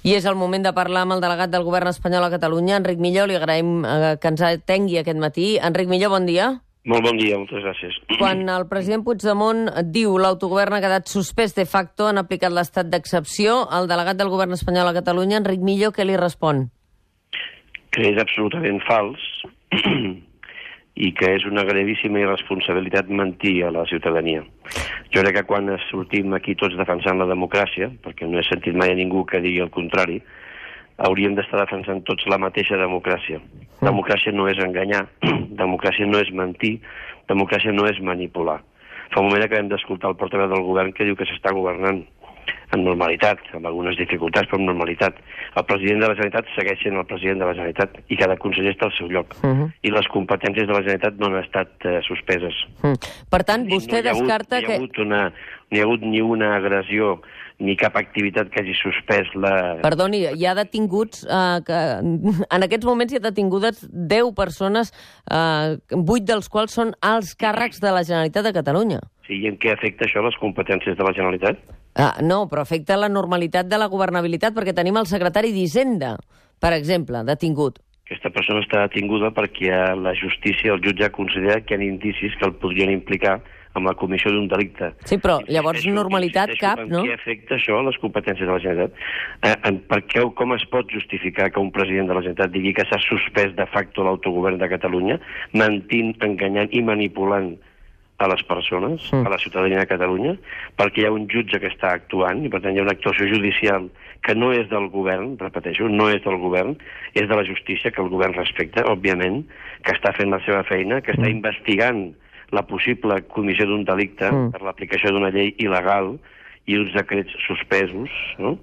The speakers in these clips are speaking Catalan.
I és el moment de parlar amb el delegat del govern espanyol a Catalunya, Enric Millo. Li agraïm que ens atengui aquest matí. Enric Millo, bon dia. Molt bon dia, moltes gràcies. Quan el president Puigdemont diu l'autogovern ha quedat suspès de facto, han aplicat l'estat d'excepció, el delegat del govern espanyol a Catalunya, Enric Millo, què li respon? Que és absolutament fals i que és una gravíssima irresponsabilitat mentir a la ciutadania. Jo crec que quan sortim aquí tots defensant la democràcia, perquè no he sentit mai a ningú que digui el contrari, hauríem d'estar defensant tots la mateixa democràcia. Democràcia no és enganyar, democràcia no és mentir, democràcia no és manipular. Fa un moment acabem d'escoltar el portaveu del govern que diu que s'està governant amb normalitat, amb algunes dificultats, però amb normalitat. El president de la Generalitat segueix sent el president de la Generalitat i cada conseller està al seu lloc. I les competències de la Generalitat no han estat suspeses. Per tant, vostè descarta que... No hi ha hagut ni una agressió ni cap activitat que hagi suspès la... Perdoni, hi ha detinguts... en aquests moments hi ha detingudes 10 persones, 8 dels quals són alts càrrecs de la Generalitat de Catalunya. Sí, i en què afecta això les competències de la Generalitat? No, però afecta la normalitat de la governabilitat, perquè tenim el secretari d'Hisenda, per exemple, detingut. Aquesta persona està detinguda perquè la justícia, el jutge, considera que hi ha indicis que el podrien implicar amb la comissió d'un delicte. Sí, però llavors normalitat cap, no? En què afecta això a les competències de la Generalitat? Com es pot justificar que un president de la Generalitat digui que s'ha suspès de facto l'autogovern de Catalunya, mentint, enganyant i manipulant a les persones, a la ciutadania de Catalunya, perquè hi ha un jutge que està actuant i per tant hi ha una actuació judicial que no és del govern, repeteixo, no és del govern, és de la justícia, que el govern respecta, òbviament, que està fent la seva feina, que està investigant la possible comissió d'un delicte per l'aplicació d'una llei il·legal i uns decrets suspesos, no?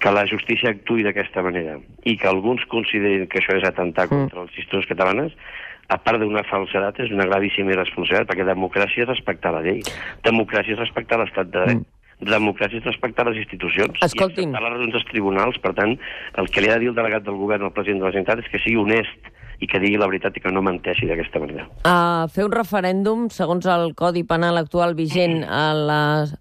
Que la justícia actuï d'aquesta manera i que alguns considerin que això és atemptar contra les institucions catalanes, a part d'una falsedat, és una gravíssima irresponsabilitat, perquè democràcia és respectar la llei, democràcia és respectar l'estat de dret, democràcia és respectar les institucions i acceptar les raons dels tribunals. Per tant, el que li ha de dir el delegat del govern al president de la Generalitat és que sigui honest i que digui la veritat i que no menteixi d'aquesta manera. Fer un referèndum, segons el Codi Penal actual vigent a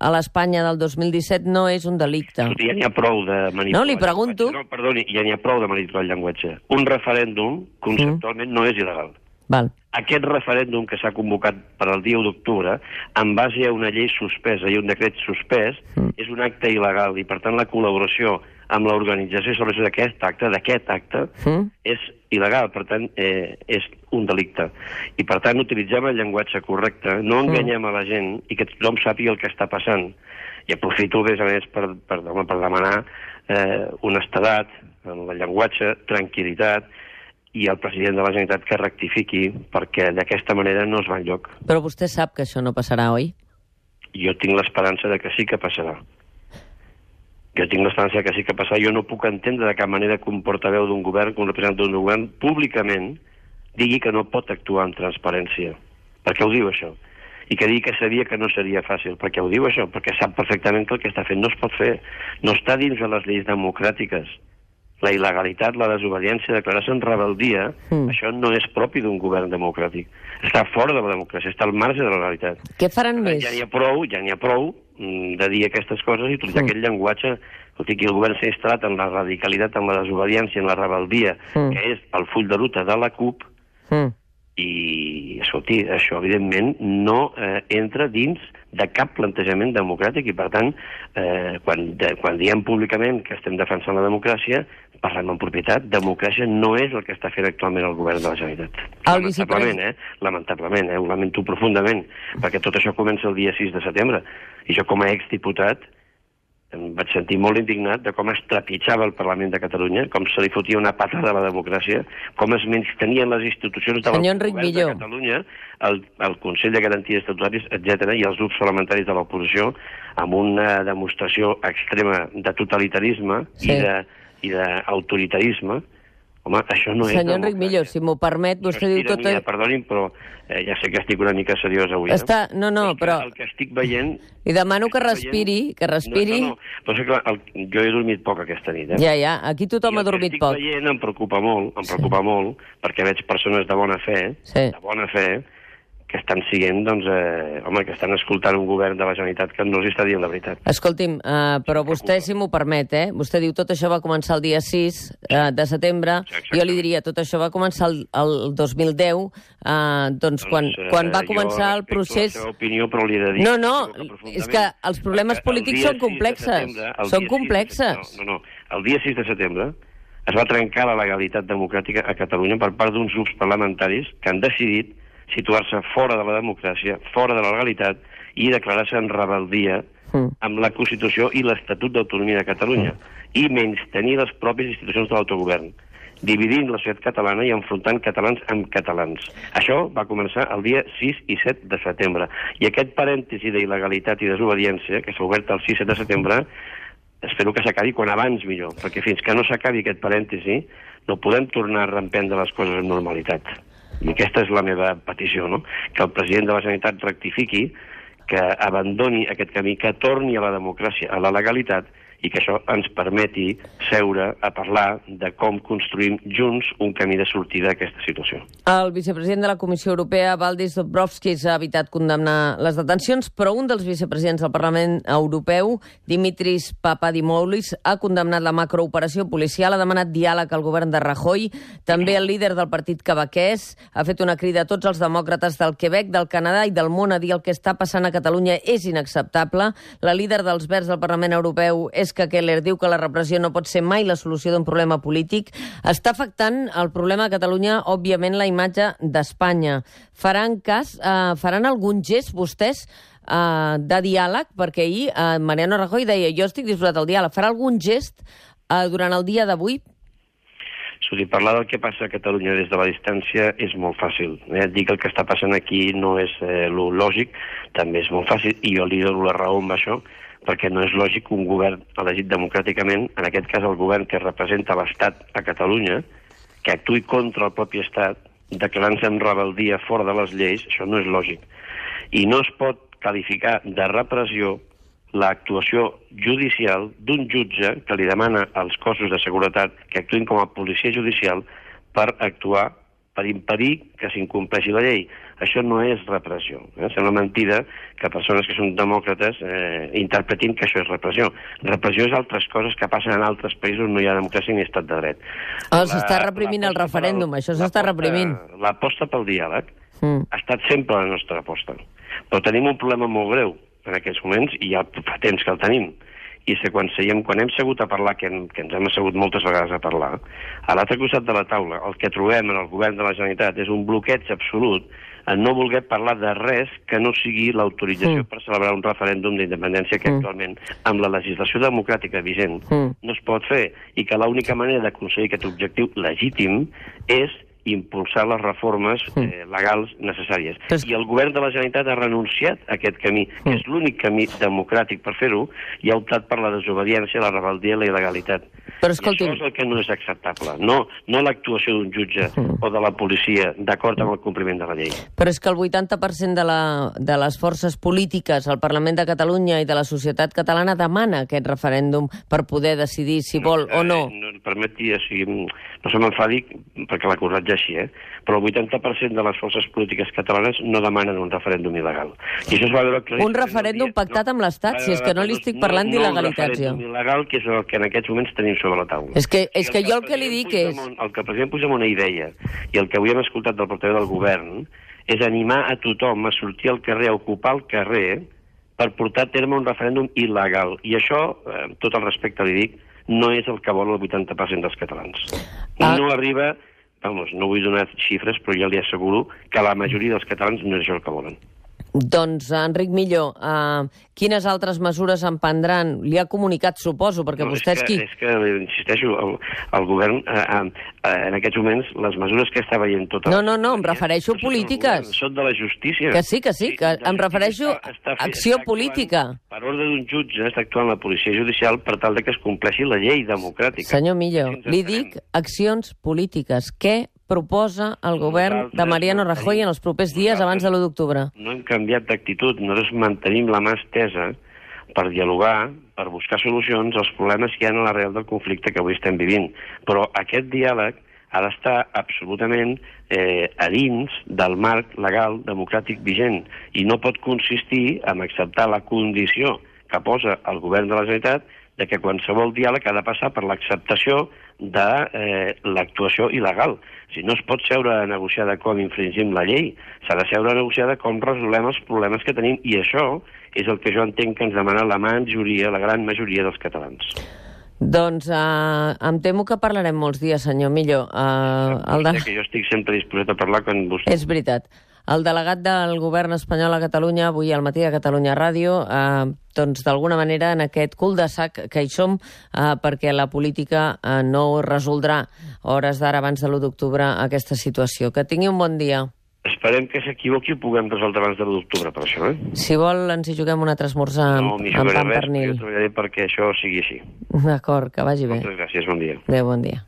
l'Espanya del 2017, no és un delicte. Ja n'hi ha prou de manipular. No, li pregunto... No, perdoni, ja n'hi ha prou de manipular el llenguatge. Un referèndum, conceptualment, no és il·legal. Val. Aquest referèndum que s'ha convocat per al dia 1 d'octubre, en base a una llei suspesa i un decret suspès, és un acte il·legal i, per tant, la col·laboració amb l'organització i celebració d'aquest acte, és il·legal, per tant, és un delicte. I, per tant, utilitzem el llenguatge correcte, no enganyem a la gent i que tothom sàpiga el que està passant. I aprofito, a més, per demanar honestedat en el llenguatge, tranquil·litat, i el president de la Generalitat que rectifiqui, perquè d'aquesta manera no es va enlloc. Però vostè sap que això no passarà, oi? Jo tinc l'esperança de que sí que passarà. Jo tinc l'esperança de que sí que passarà. Jo no puc entendre de cap manera que un portaveu d'un govern, que un representant d'un govern, públicament digui que no pot actuar amb transparència. Per què ho diu, això? I que digui que sabia que no seria fàcil. Per què ho diu, això? Perquè sap perfectament que el que està fent no es pot fer. No està dins de les lleis democràtiques. La il·legalitat, la desobediència, declarar-se en rebeldia, això no és propi d'un govern democràtic. Està fora de la democràcia, està al marge de la realitat. Què faran més? Ja n'hi ha prou de dir aquestes coses i utilitzar aquest llenguatge. Escolti, que el govern s'ha instal·lat en la radicalitat, en la desobediència, en la rebeldia, que és el full de ruta de la CUP, i, escolti, això, evidentment, no entra dins de cap plantejament democràtic i, per tant, quan diem públicament que estem defensant la democràcia, parlem en propietat, democràcia no és el que està fent actualment el govern de la Generalitat. Lamentablement, ho lamento profundament, perquè tot això comença el dia 6 de setembre, i jo com a exdiputat em vaig sentir molt indignat de com es trepitjava el Parlament de Catalunya, com se li fotia una patada a la democràcia, com es menystenien les institucions del govern de Catalunya, el Consell de Garanties Estatutàries, etc., i els grups parlamentaris de l'oposició, amb una demostració extrema de totalitarisme i d'autoritarisme. Home, això no és... Senyor Enric Millo, si m'ho permet, vostè diu tot... Perdonin, però ja sé que estic una mica seriós avui. Però... El que estic veient... Li demano que respiri, que respiri... No, però és clar, jo he dormit poc aquesta nit, Ja, aquí tothom ha dormit poc. El que estic veient em preocupa molt, perquè veig persones de bona fe, que estan siguent, doncs, que estan escoltant un govern de la Generalitat que no els està dient la veritat. Escolti'm, però vostè, si m'ho permet, vostè diu tot això va començar el dia 6 de setembre, jo li diria tot això va començar el 2010, doncs quan va començar el procés... Jo respecto la seva opinió, però li he de dir... No, és que els problemes polítics són complexes. Són complexes. No, el dia 6 de setembre es va trencar la legalitat democràtica a Catalunya per part d'uns grups parlamentaris que han decidit situar-se fora de la democràcia, fora de la legalitat i declarar-se en rebel·lia amb la Constitució i l'Estatut d'Autonomia de Catalunya i menystenir les pròpies institucions de l'autogovern, dividint la societat catalana i enfrontant catalans amb catalans. Això va començar el dia 6 i 7 de setembre. I aquest parèntesi d'il·legalitat i desobediència, que s'ha obert el 6 i 7 de setembre, espero que s'acabi quan abans millor, perquè fins que no s'acabi aquest parèntesi no podem tornar a reemprendre les coses amb normalitat. I aquesta és la meva petició, no? Que el president de la Generalitat rectifiqui, que abandoni aquest camí, que torni a la democràcia, a la legalitat, i que això ens permeti seure a parlar de com construïm junts un camí de sortida a aquesta situació. El vicepresident de la Comissió Europea, Valdis Dombrovskis, ha evitat condemnar les detencions, però un dels vicepresidents del Parlament Europeu, Dimitris Papadimoulis, ha condemnat la macrooperació policial, ha demanat diàleg al govern de Rajoy. També el líder del partit quebequès ha fet una crida a tots els demòcrates del Quebec, del Canadà i del món a dir el que està passant a Catalunya és inacceptable. La líder dels Verds del Parlament Europeu és que Keller diu que la repressió no pot ser mai la solució d'un problema polític. Està afectant el problema a Catalunya, òbviament, la imatge d'Espanya. Faran algun gest, vostès, de diàleg? Perquè ahir Mariano Rajoy deia jo estic disposat al diàleg. Farà algun gest durant el dia d'avui? Parlar del que passa a Catalunya des de la distància és molt fàcil. Dir que el que està passant aquí no és lo lògic, també és molt fàcil, i jo li dono la raó amb això, perquè no és lògic que un govern elegit democràticament, en aquest cas el govern que representa l'Estat a Catalunya, que actuï contra el propi Estat, declarant-se en rebel·lia fora de les lleis, això no és lògic. I no es pot qualificar de repressió l'actuació judicial d'un jutge que li demana als cossos de seguretat que actuïn com a policia judicial per actuar, per impedir que s'incompleixi la llei. Això no és repressió. Sembla mentida que persones que són demòcrates interpretin que això és repressió. Repressió és altres coses que passen en altres països on no hi ha democràcia ni estat de dret. S'està reprimint el referèndum, això s'està reprimint. L'aposta pel diàleg ha estat sempre la nostra aposta. Però tenim un problema molt greu en aquests moments, i ja fa temps que el tenim, i és que quan hem segut a parlar, que ens hem assegut moltes vegades a parlar, a l'altre costat de la taula el que trobem en el govern de la Generalitat és un bloqueig absolut en no voler parlar de res que no sigui l'autorització per celebrar un referèndum d'independència que actualment, amb la legislació democràtica vigent, no es pot fer, i que l'única manera d'aconseguir aquest objectiu legítim és impulsar les reformes legals necessàries. I el govern de la Generalitat ha renunciat a aquest camí, que és l'únic camí democràtic per fer-ho, i ha optat per la desobediència, la rebel·lia i la il·legalitat. Però escolti'm, I això és el que no és acceptable, no l'actuació d'un jutge o de la policia d'acord amb el compliment de la llei. Però és que el 80% de les forces polítiques al Parlament de Catalunya i de la societat catalana demana aquest referèndum per poder decidir si vol o no. Permeti, no se m'enfadi perquè l'ha acusat ja així, però el 80% de les forces polítiques catalanes no demanen un referèndum il·legal. I això es va veure claríssim. Un referèndum pactat amb l'Estat, si és que no li estic parlant d'il·legalitats, jo. No un referèndum il·legal, que és el que en aquests moments tenim sobre la taula. És que jo el que li dic és... El que el president Puigdemont hi deia, i el que avui hem escoltat del portaveu del govern, és animar a tothom a sortir al carrer, a ocupar el carrer, per portar a terme un referèndum il·legal. I això, amb tot el respecte li dic, no és el que vol el 80% dels catalans. No arriba, no vull donar xifres, però ja li asseguro que la majoria dels catalans no és això el que volen. Doncs, Enric Millo, quines altres mesures en prendran? Li ha comunicat, suposo, perquè vostè és qui? És que, insisteixo, el govern, en aquests moments, les mesures que està veient tota... No, em refereixo a polítiques. Són de la justícia. Que sí, que em refereixo a acció política. Per ordre d'un jutge està actuant la policia judicial per tal de que es compleixi la llei democràtica. Senyor Millo, li dic accions polítiques. Què proposa el govern de Mariano Rajoy en els propers dies abans de l'1 d'octubre? No hem canviat d'actitud, nosaltres mantenim la mà estesa per dialogar, per buscar solucions als problemes que hi ha en l'arrel del conflicte que avui estem vivint. Però aquest diàleg ha d'estar absolutament a dins del marc legal democràtic vigent i no pot consistir en acceptar la condició que posa el govern de la Generalitat de que qualsevol diàleg ha de passar per l'acceptació de l'actuació il·legal. Si no es pot seure a negociar de com infringim la llei, s'ha de seure a negociar de com resolem els problemes que tenim, i això és el que jo entenc que ens demana la majoria, la gran majoria dels catalans. Doncs em temo que parlarem molts dies, senyor Millo. Que jo estic sempre disposat a parlar quan vostè... És veritat. El delegat del govern espanyol a Catalunya, avui al matí a Catalunya Ràdio, doncs d'alguna manera en aquest cul de sac que hi som, perquè la política no resoldrà hores d'ara abans de l'1 d'octubre aquesta situació. Que tingui un bon dia. Esperem que s'equivoqui i puguem resoldre abans de l'1 d'octubre, per això, Si vol, ens hi juguem un altre esmorzar amb pa amb pernil. Jo treballaré perquè això sigui així. D'acord, que vagi bé. Moltes gràcies, bon dia. Adéu, bon dia.